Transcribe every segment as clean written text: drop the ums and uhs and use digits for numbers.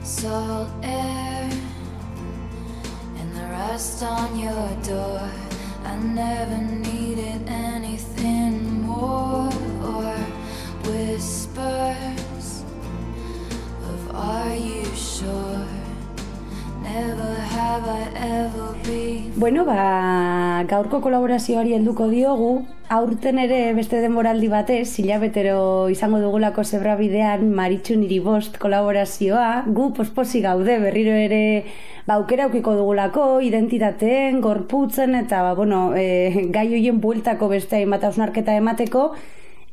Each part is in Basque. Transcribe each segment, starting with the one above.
salt air and the rust on your door. I never needed anything more, or whispers of are you sure? Never have I ever been. Bueno, gaurko kolaborazioari helduko diogu. Aurten ere beste denboraldi batez, hilabetero izango dugulako Zebrabidean Maritxu niri bost kolaborazioa. Gu posposi gaude berriro ere aukera aukiko dugulako, identitateen, gorputzen eta gai hoien bueltako beste hainbat hausnarketa emateko.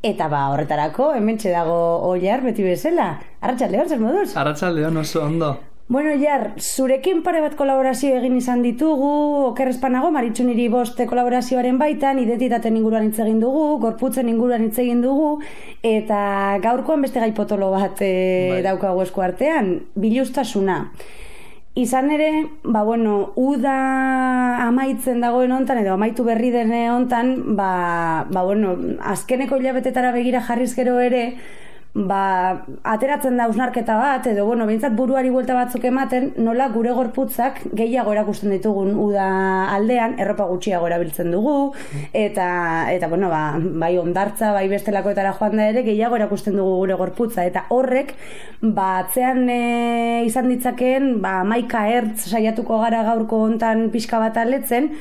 Eta horretarako, hementxe dago Oiar beti bezala. Arratsaldeon, zer moduz? Arratsaldeon, oso ondo. Bueno, Oiar, zurekin pare bat kolaborazio egin izan ditugu, oker ez banago, Maritxu niri bost kolaborazioaren baitan, identitateen inguruan hitz egin dugu, gorputzen inguruan hitz egin dugu, eta gaurkoan beste gai potolo bat daukagu esku artean, biluztasuna. Izan ere, uda amaitzen dagoen hontan, edo amaitu berri den hontan, azkeneko hilabetetara begira jarriz gero ere, ateratzen da hausnarketa bat, edo behintzat buruari buelta batzuk ematen, nola gure gorputzak gehiago erakusten ditugun uda aldean, erropa gutxiago erabiltzen dugu, eta bai ondartza, bai bestelakoetara joan da ere, gehiago erakusten dugu gure gorputza, eta horrek, atzean izan ditzakeen, 11 hertz saiatuko gara gaurko hontan pixka bat aletzen.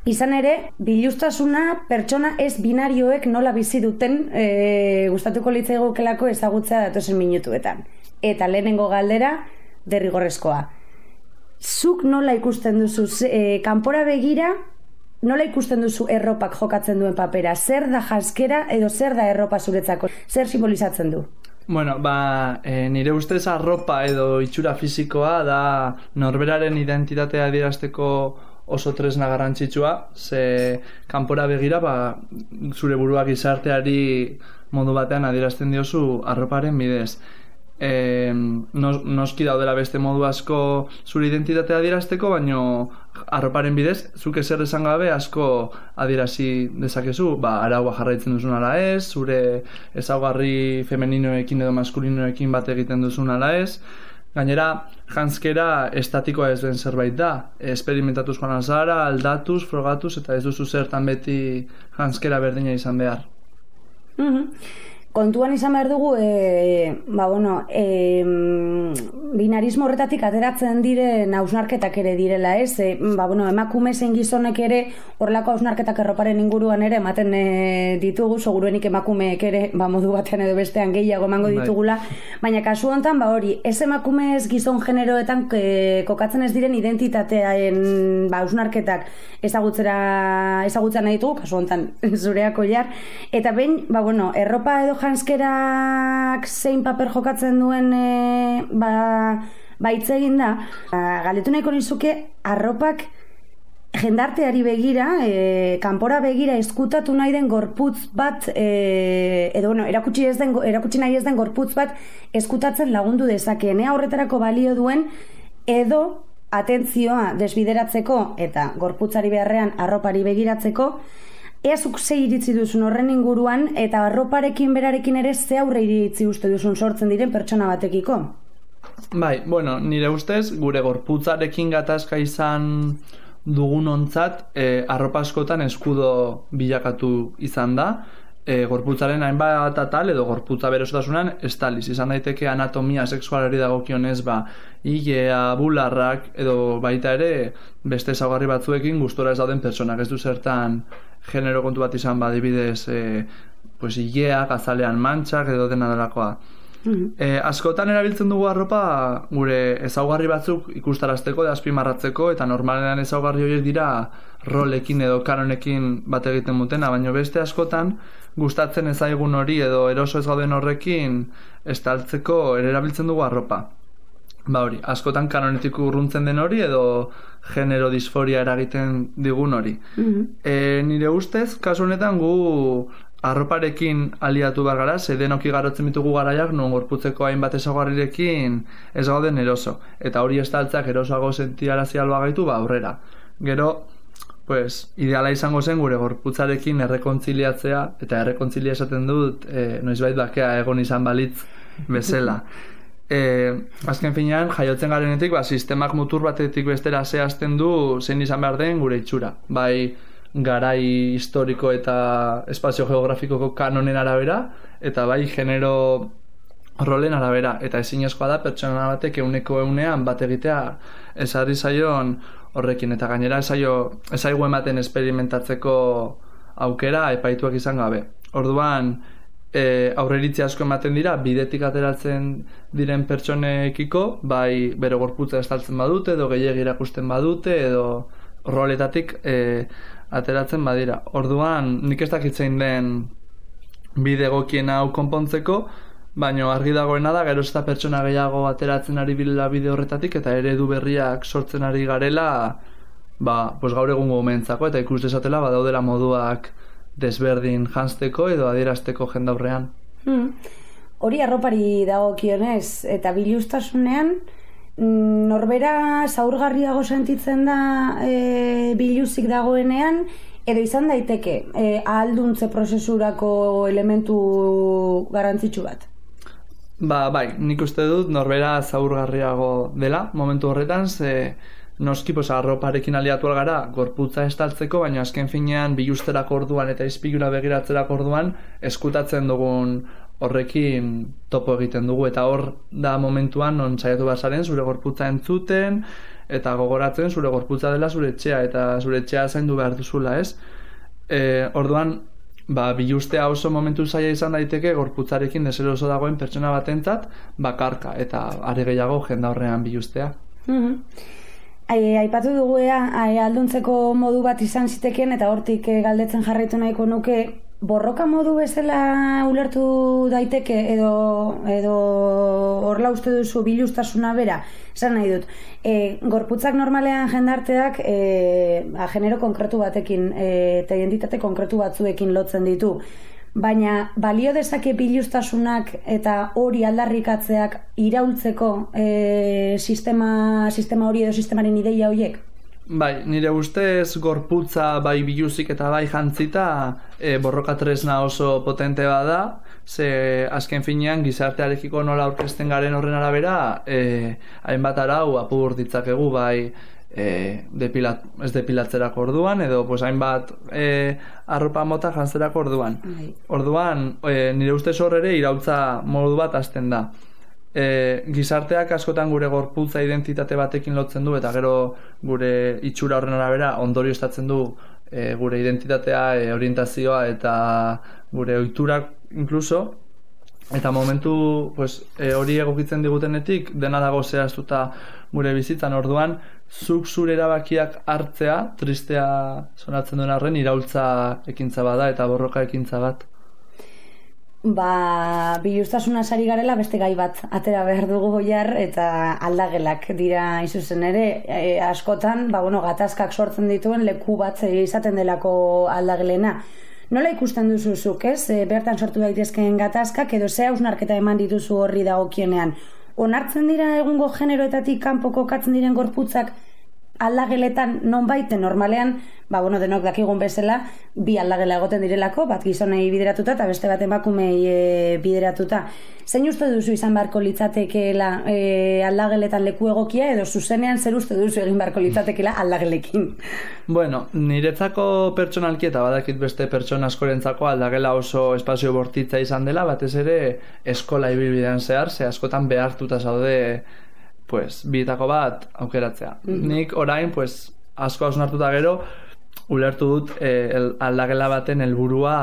Izan ere, biluztasuna pertsona ez binarioek nola bizi duten gustatuko litzaigukelako ezagutzea datozen minutuetan. Eta lehenengo galdera, derrigorrezkoa. Zuk nola ikusten duzu, kanpora begira, nola ikusten duzu erropak jokatzen duen papera? Zer da janzkera edo zer da erropa zuretzako? Zer simbolizatzen du? Bueno, nire ustez arropa edo itxura fisikoa da norberaren identitatea adierazteko oso tresna garrantzitsua, ze kanpora begira zure buruak gizarteari modu batean adierazten diozu arroparen bidez. Noski daudela beste modu asko zure identitatea adierazteko, baino arroparen bidez, zuk ezer esan gabe asko adierazi dezakezu, araua jarraitzen duzun ala ez, zure ezaugarri femeninoekin edo maskulinoekin bat egiten duzun ala ez. Gainera, janzkera estatikoa ez den zerbait da. Esperimentatuz joan alzara, aldatuz, frogatuz, eta ez duzu zertan beti janzkera berdina izan behar. Kontuan izan behar dugu, binarismo horretatik ateratzen diren hausnarketak ere direla, ez? Emakume zein gizonek ere horrelako hausnarketak erroparen inguruan ere ematen ditugu, seguruenik emakumeek ere modu batean edo bestean gehiago emango ditugula, baina kasu honetan, ez emakume ez gizon generoetan kokatzen ez diren identitatearen hausnarketak ezagutzen nahi ditugu, kasu honetan zureak Oiar, eta behin, erropa edo janzkerak zein paper jokatzen duen hitz egin da, galdetu nahiko nizuke arropak jendarteari begira, kanpora begira ezkutatu nahi den gorputz bat, erakutsi nahi ez den gorputz bat ezkutatzen lagundu dezakeen. Horretarako balio duen edo atentzioa desbideratzeko eta gorputzari beharrean arropari begiratzeko, ea zuk ze iritzi duzun horren inguruan eta arroparekin berarekin ere ze aurre iritzi uste duzun sortzen diren pertsona batekiko? Nire ustez, gure gorputzarekin gatazka izan dugunontzat, arropa askotan eskudo bilakatu izan da, gorputzaren hainbat atal edo gorputza berosotasunan estaliz. Izan daiteke anatomia sexualari dagokionez ilea, bularrak edo baita ere beste ezaugarri batzuekin gustora ez dauden pertsonak. Ez du zertan genero kontu bat izan adibidez ileak, azalean mantxak edo dena delakoa. Askotan erabiltzen dugu arropa gure ezaugarri batzuk ikustarazteko, azpimarratzeko, eta normalean ezaugarri horiek dira rolekin edo kanonekin bat egiten dutena, baina beste askotan gustatzen ez zaigun hori edo eroso ez gauden horrekin estaltzeko erabiltzen dugu arropa. Askotan kanonetik urruntzen den hori edo genero disforia eragiten digun hori. Nire ustez, kasu honetan gu arroparekin aliatu behar gara, ze denok igarotzen ditugu garaiak non gorputzeko hainbat ezaugarrirekin ez gauden eroso. Eta hori estaltzeak erosoago sentiarazi alba gaitu, aurrera. Gero, ideala izango zen gure gorputzarekin errekontziliatzea, eta errekontzilia esaten dut, noizbait bakea egon izan balitz bezala. azken finean, jaiotzen garenetik, sistemak mutur batetik bestera zehazten du zein izan behar den gure itxura. Bai, garai historiko eta espazio geografikoko kanonen arabera, eta bai, genero rolen arabera. Eta ezinezkoa da, pertsona batek 100% bat egitea ezarri zaion horrekin. Eta gainera ezaigu ematen esperimentatzeko aukera epaituak izan gabe. Orduan, aurreiritzi asko ematen dira, bidetik ateratzen diren pertsonekiko, bai bere gorputza estaltzen badute, edo gehiegi erakusten badute, edo roletatik ateratzen badira. Orduan, nik ez dakitzein den bide egokien hau konpontzeko, baina argi dagoena da, gero ez da pertsona gehiago ateratzen ari bilela bide horretatik, eta eredu berriak sortzen ari garela, pues gaur egungo momentzako, eta ikus dezatela badaudela moduak desberdin janzteko edo adierazteko jendaurrean. Hori arropari dagokionez, eta biluztasunean, norbera zaurgarriago sentitzen da biluzik dagoenean, edo izan daiteke ahalduntze prozesurako elementu garrantzitsu bat? Bai, nik uste dut norbera zaurgarriago dela momentu horretan, noski arroparekin aliatu algara gorputza estaltzeko, baina azken finean bilusterako orduan eta izpilura begiratzerako orduan eskutatzen dugun horrekin topo egiten dugu, eta hor da momentuan non saiatu bazaren zure gorputza entzuten eta gogoratzen zure gorputza dela zure etxea, eta zure etxea zaindu behar duzula, ez? Orduan, bilustea oso momentu zaila izan daiteke gorputzarekin deseroso dagoen pertsona batentzat bakarka, eta are gehiago jendaurrean bilustea. Aipatu dugu alduntzeko modu bat izan zitekeen, eta hortik galdetzen jarraitu nahiko nuke, borroka modu bezala ulertu daiteke edo horla uste duzu biluztasuna bera? Esan nahi dut, gorputzak normalean jendarteak genero konkretu batekin eta identitate konkretu batzuekin lotzen ditu, baina balio dezake biluztasunak eta hori aldarrikatzeak iraultzeko sistema hori edo sistemaren ideia horiek? Bai, nire ustez gorputza bai biluzik eta bai jantzita borroka tresna oso potente bada, ze azken finean gizartearekiko nola aurkezten garen horren arabera hainbat arau apur ditzakegu bai ez depilatzerako orduan, edo hainbat arropa mota jantzerako orduan. Orduan, nire ustez hor ere iraultza modu bat hasten da. Gizarteak askotan gure gorputza identitate batekin lotzen du, eta gero gure itxura horren arabera ondorioztatzen du gure identitatea, orientazioa eta gure ohiturak inkluso, eta momentu hori egokitzen digutenetik dena dago zehaztuta gure bizitzan. Orduan, zuk zure erabakiak hartzea, tristea sonatzen duen arren, iraultza ekintza bada eta borroka ekintza bat. Biluztasuna sari garela beste gai bat atera behar dugu goiar, eta aldagelak dira izuzen ere, askotan gatazkak sortzen dituen leku bat izaten delako aldagelena. Nola ikusten duzu zuk, ez? Bertan sortu daitezkeen gatazkak edo ze hausnarketa eman dituzu horri dagokionean? Onartzen dira egungo generoetatik kanpo kokatzen diren gorputzak aldageletan nonbaiten normalean, denok dakigun bezala, bi aldagela egoten direlako, bat gizonei bideratuta eta beste bat emakumei bideratuta. Zein uste duzu izan beharko litzatekeela aldageletan leku egokia, edo zuzenean zer uste duzu egin beharko litzatekeela aldagelekin? Niretzako pertsonalki eta badakit beste pertsona askorentzako aldagela oso espazio bortitza izan dela, batez ere eskola ibilbidean zehar, ze askotan behartuta zaude bietako bat aukeratzea. Nik orain, asko hausnartuta gero, ulertu dut aldagela baten helburua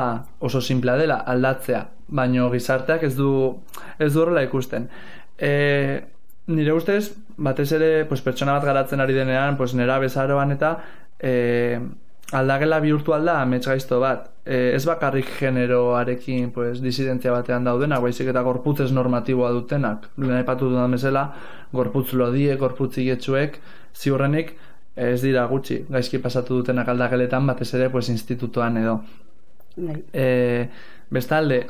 oso simplea dela, aldatzea, baino gizarteak ez du horrela ikusten. Nire ustez, batez ere pertsona bat garatzen ari denean, nera bezaroan eta aldagela bihurtu alda amets gaizto bat. Ez bakarrik generoarekin disidentzia batean daudenak, baizik eta gorputzez normatiboa dutenak. Lehen aipatu dudan bezala, gorputz lodiek, gorputz igetsuek, ziurrenik ez dira gutxi gaizki pasatu dutenak aldageletan, batez ere institutuan edo. Bestalde,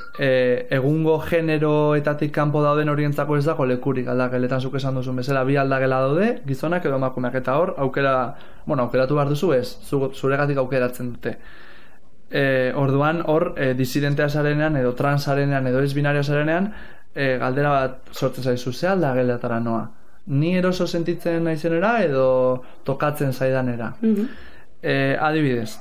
egungo generoetatik kanpo dauden horientzako ez dago lekurik aldageletan, zuk esan duzun bezala, bi aldagela daude, gizonak edo emakumeak, eta hor aukeratu behar duzu ez, zuregatik aukeratzen dute. Orduan hor disidentea zarenean edo trans zarenean edo ez binario zarenean galdera bat sortzen zaizu, ze aldageletara noa? Ni eroso sentitzen naizenera edo tokatzen zaidanera? Adibidez,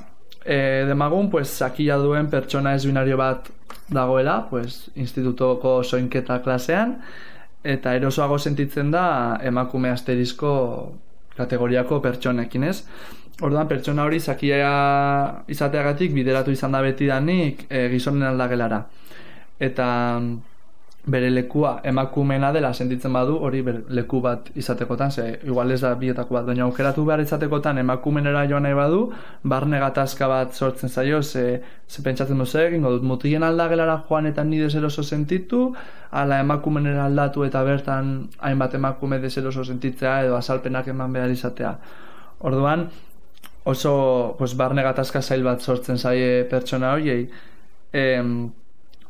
demagun, pues, sakila duen pertsona ez binario bat dagoela, pues, institutoko soinketa klasean, eta erosoago sentitzen da emakume asterisko kategoriako pertsonekin, ez? Orduan, pertsona hori sakila izateagatik bideratu izan da betidanik gizonen aldagelara. Eta bere lekua emakumeena dela sentitzen badu, hori leku bat izatekotan, ze igual ez da bietako bat, baina aukeratu behar izatekotan emakumenera joan nahi badu, barne gatazka bat sortzen zaio, ze pentsatzen duzu egingo dut, mutilen aldagelara joan eta ni deseroso sentitu, ala emakumenera aldatu eta bertan hainbat emakume deseroso sentitzea edo azalpenak eman behar izatea. Orduan, oso pues, barne gatazka zail bat sortzen zaie pertsona horiei.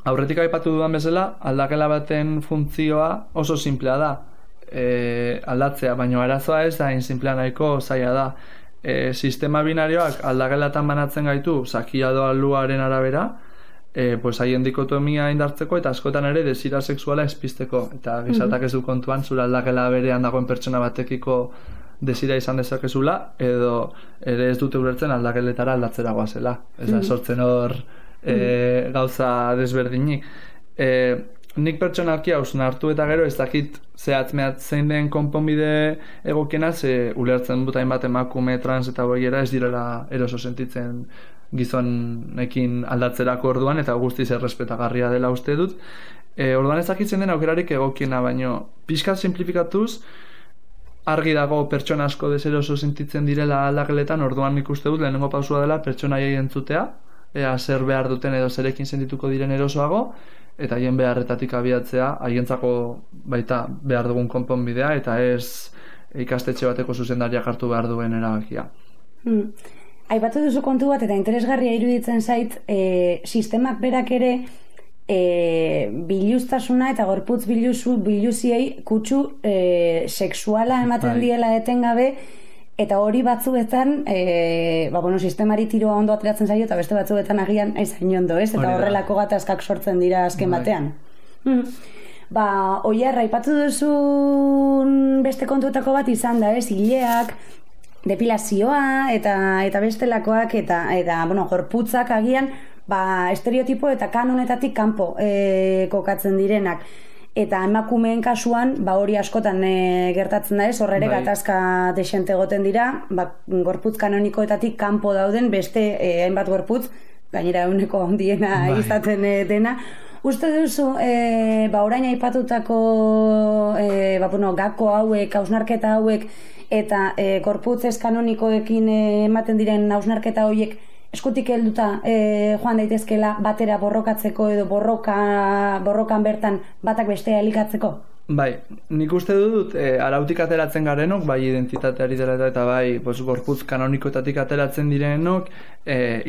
Aurretik aipatu dudan bezala, aldakela baten funtzioa oso simplea da, aldatzea, baina arazoa ez da, insimplea nahiko zaila da. Sistema binarioak aldagelatan banatzen gaitu, sakia doa luaren arabera, pues haien dikotomia indartzeko eta askotan ere desira sexuala espisteko. Eta gizatak ez du kontuan, zure aldakela berean dagoen pertsona batekiko desira izan dezakezula, edo ere ez dute ulertzen aldakeletara aldatzera goazela. Ez da, sortzen hor gauza desberdinik. Nik pertsonalki hausnartu eta gero ez dakit zehatz-mehatz zein den konponbide egokiena, ze ulertzen dut hainbat emakume trans eta boiera ez direla eroso sentitzen gizonekin aldatzerako orduan, eta guztiz errespetagarria dela uste dut. Orduan ez dakitzen den aukerarik egokiena, baino pixkat simplifikatuz, argi dago pertsona asko deseroso sentitzen direla aldakeletan, orduan nik uste dut lehenengo pausua dela pertsona haiei entzutea, ea zer behar duten edo zerekin sentituko diren erosoago, eta haien beharretatik abiatzea, haientzako baita behar dugun konponbidea, eta ez ikastetxe bateko zuzendariak hartu behar duen erabakia. Aipatu duzu kontu bat, eta interesgarria iruditzen zait, sistemak berak ere biluztasuna eta gorputz biluziei kutsu sexuala ematen diela etengabe, eta hori batzuetan sistemari tiroa ondo ateratzen zaio eta beste batzuetan agian ezain ondo, ez? Eta horrelako gatazkak sortzen dira azken batean. Oiar, aipatu duzun beste kontuetako bat izan da, ez? Ileak, depilazioa eta bestelakoak eta gorputzak agian estereotipo eta kanonetatik kanpo kokatzen direnak. Eta emakumeen kasuan, hori askotan gertatzen da ez, horre gatazka desente egoten dira, gorputz kanonikoetatik kanpo dauden beste hainbat gorputz, gainera eguneko handiena izaten dena. Uste duzu, orain aipatutako gako hauek, hausnarketa hauek, eta gorputz ez kanonikoekin ematen diren hausnarketa horiek eskutik helduta joan daitezkela batera borrokatzeko edo borrokan bertan batak bestea elikatzeko? Bai, nik uste dut arautik ateratzen garenok, bai identitateari dela eta bai gorputz kanonikoetatik ateratzen direnok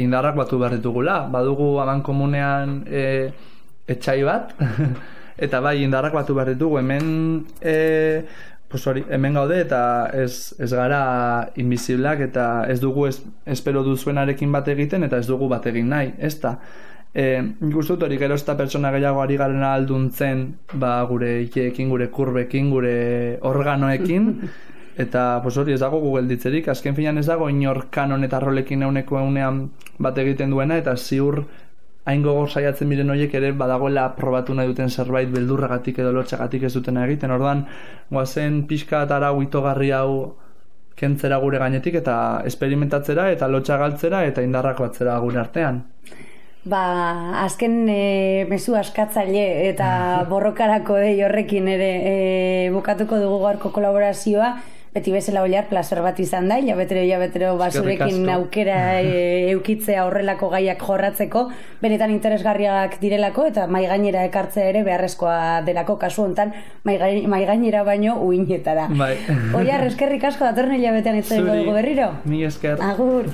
indarrak batu behar ditugula. Badugu amankomunean etxai bat, eta bai indarrak batu behar ditugu. Hemen gaude eta ez gara inbizibleak eta ez dugu espero duzuenarekin bat egiten eta ez dugu bat egin nahi, ez da. Nik uste dut hori gero ez da pertsona gehiago ari garen alduntzen gure ikeekin, gure kurbekin, gure organoekin, eta hori ez dago gugelditzerik, azken finan ez dago inor kanon eta rolekin egunean bat egiten duena, eta ziur hain gogor saiatzen miren horiek ere badagoela probatu nahi duten zerbait beldurragatik edo lotxagatik ez dutena egiten. Orduan, goazen pixka eta arau itogarri hau kentzera gure gainetik eta esperimentatzera eta lotxa galtzera eta indarrak batzera gure artean. Azken mezu askatzaile eta borrokarako horrekin ere bukatuko dugu gaurko kolaborazioa. Beti bezala oliar, plazer bat izan da, hilabetero basurekin aukera eukitzea horrelako gaiak jorratzeko, benetan interesgarriak direlako eta maigainera ekartzea ere beharrezkoa delako kasu hontan, maigainera baino uinetara. Bai. Oliar, eskerrik asko datorren hilabetean itzeko dugu berriro. Mi esker. Agur.